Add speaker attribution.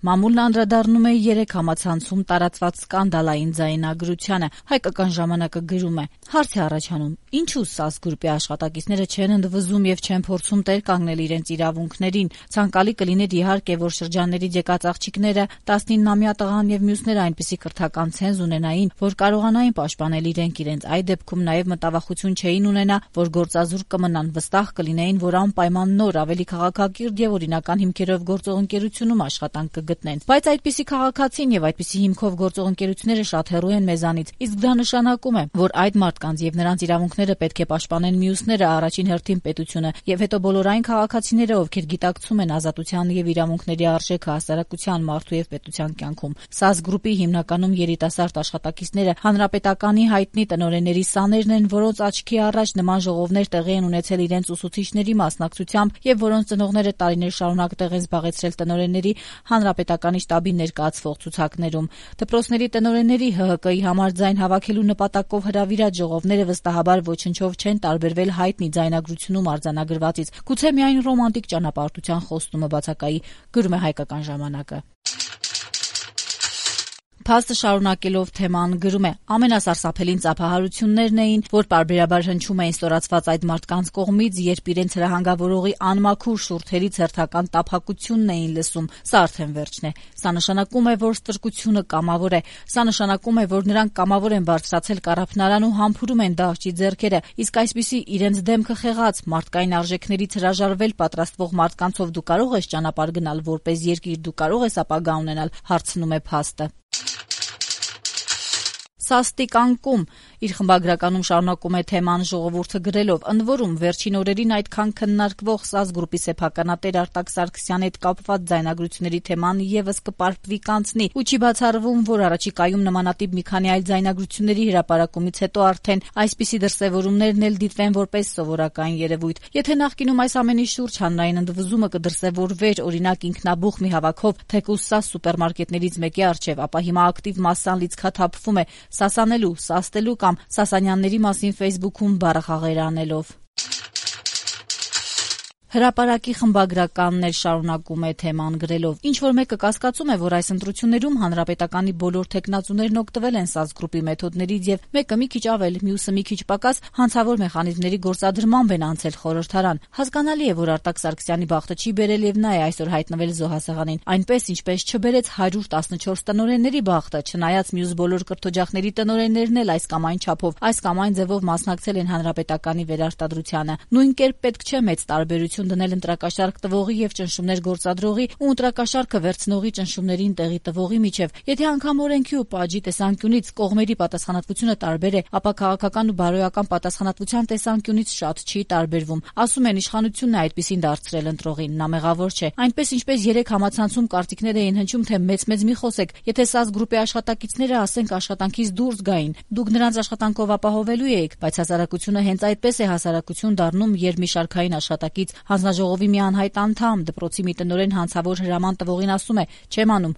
Speaker 1: Մամուլն անդրադառնում է 3 համացանցում տարածված սկանդալային ձայնագրությանը։ Հայկական ժամանակը գրում է. հարց է առաջանում, ինչու ՍԱՍ գրուպի աշխատակիցները չեն ընդվզում եւ չեն փորձում տեր կանգնել իրենց իրավունքներին։ Ցանկալի կլիներ իհարկե, որ շրջաններից եկած աղջիկները 19-ամյա տղան եւ մյուսները այնպիսի կրթական ցենզ ունենային, որ կարողանային պաշտպանել իրենք։ Այդ դեպքում նաեւ մտավախություն չէին ունենա, որ գործազուրկ կմնան, վստահ կլինեին, որ անպայման նոր, ավելի քաղաքակիրթ եւ օրինական հիմքերով գործող ընկերությունում աշխատանք կգտնեն։ Բայց այդպիսի քաղաքացին եւ այդպիսի հիմքով գործող ընկերությունները շատ հեռու են մեզանից, իսկ դա նշանակում է, որ այդ մարդկանց եւ նրանց իրավունքները պետք է պաշտպանեն մյուսները, առաջին հերթին պետությունը, եւ հետո բոլոր այն քաղաքացիները, ովքեր գիտակցում են ազատության եւ իրավունքների արժեքը հասարակության, մարդու եւ պետության կյանքում։ ՍԱՍ գրուպի հիմնականում երիտասարդ աշխատակիցները հանրապետականի հայտնի տնօրենների սաներն են, որոնց աչքի առաջ նման ժողովներ տեղի են ունեցել իրենց ուսուցիչների մասնակցությամբ եւ որոնց ծնողները տարիներ շարունակ տեղ են զբաղեցրել տնօրենների հանրապետականի շտաբի ներկայացվող ցուցակներում։ Դպրոցների տնօրենների ՀՀԿ-ի համար ձայն հավաքելու նպատակով հրավիրած ժողովները վստահաբար ոչնչով չեն տարբերվել հայտնի ձայնագրությունում արձանագրվածից։ Գուցե միայն ռոմանտիկ ճանապարհորդության խոստումը բացակայի, գրում է Հայկական ժամանակը։ Փաստը շարունակելով թեման գրում է. ամենասարսափելին ծափահարություններն էին, որ պարբերաբար հնչում էին ստորացված այդ մարդկանց կողմից, երբ իրենց հրահանգավորողի անմաքուր շուրթերից հերթական տափակությունն էին լսում։ Սա արդեն վերջն է։ Սա նշանակում է, որ ստրկությունը կամավոր է։ Սա նշանակում է, որ նրանք կամավոր են բարձրացել կառափնարան ու համբուրում են դահճի ձեռքերը, իսկ այսպիսի իրենց դեմքը խեղած մարդկային արժեքներից հրաժարվել պատրաստվող մարդկանցով դու կարող ես ճանապարհ գնալ որպես երկիր, դու կարող ես ապագա ունենալ, հարցնում է փաստը։ Սաստիկ անկում իր խմբագրականում շարունակում է թեման ժողովուրդը գրելով. ընդ որում վերջին օրերին այդքան քննարկվող ՍԱՍ գրուպի սեփականատեր Արտակ Սարգսյանի հետ կապված ձայնագրությունների թեման եւս կպարբվի կանցնի ու չի բացառվում, որ առաջիկայում նմանատիպ մի քանի այլ ձայնագրությունների հրապարակումից հետո արդեն այսպիսի դրսևորումներն էլ դիտվեն որպես սովորական երևույթ։ Եթե նախկինում այս ամենի շուրջ հանրային ընդվզումը կդրսևորվեր օրինակ ինքնաբուխ մի հավաքով թեկուզ ՍԱՍ սուպերմարկետներից մեկի առջև, ապա հիմա ակտիվ մասսան լիցքաթափվում է սասանելու, սաստելու կամ սասանյանների մասին Facebook-ում բառախաղեր անելով։ Հրապարակի խմբագրականներ շարունակում է թեման գրելով. ինչ-որ մեկը կասկածում է, որ այս ընտրություններում հանրապետականի բոլոր թեկնածուներն օգտվել են ՍԱՍ գրուպի մեթոդներից եւ մեկը մի քիչ ավել, մյուսը մի քիչ պակաս հանցավոր մեխանիզմների գործադրմամբ են անցել խորհրդարան։ Հասկանալի է, որ Արտակ Սարգսյանի բախտը չի բերել եւ նա է այսօր հայտնվել զոհասեղանին, այնպես ինչպես չբերեց 114 տնօրենների բախտը, չնայած մյուս բոլոր կրթօջախների տնօրեններն էլ այս կամ այն չափով, այս կամ այն ձևով մասնակցել են հանրապետականի վերարտադրությանը։ Նույն կերպ պետք չէ մեծ տարբերություն դնել ընտրակաշարք տվողի եւ ճնշումներ գործադրողի ու ընտրակաշարքը վերցնողի ճնշումներին տեղի տվողի միջև։ Եթե անգամ օրենքի ու պատժի տեսանկյունից կողմերի պատասխանատվությունը տարբեր է, ապա քաղաքական ու բարոյական պատասխանատվության տեսանկյունից շատ չի տարբերվում։ Ասում են իշխանությունն է այդպեսին դարձրել ընտրողին, նա մեղավոր չէ։ Այնպես ինչպես 3 համացանցում կարծիքներ էին հնչում, թե մեծ մի խոսեք, եթե ՍԱՍ գրուպի աշխատակիցները ասենք աշխատանքից դուրս գային, դուք նրանց աշխատանքով ապահովելու էիք, բայց հասարակությունը հենց այդպես է հասարակություն դառնում, երբ մի շարքային աշխատակից հանձնաժողովի մի անհայտ անդամ դպրոցի մի տնօրեն հանցավոր հրաման տվողին ասում է. չեմ անում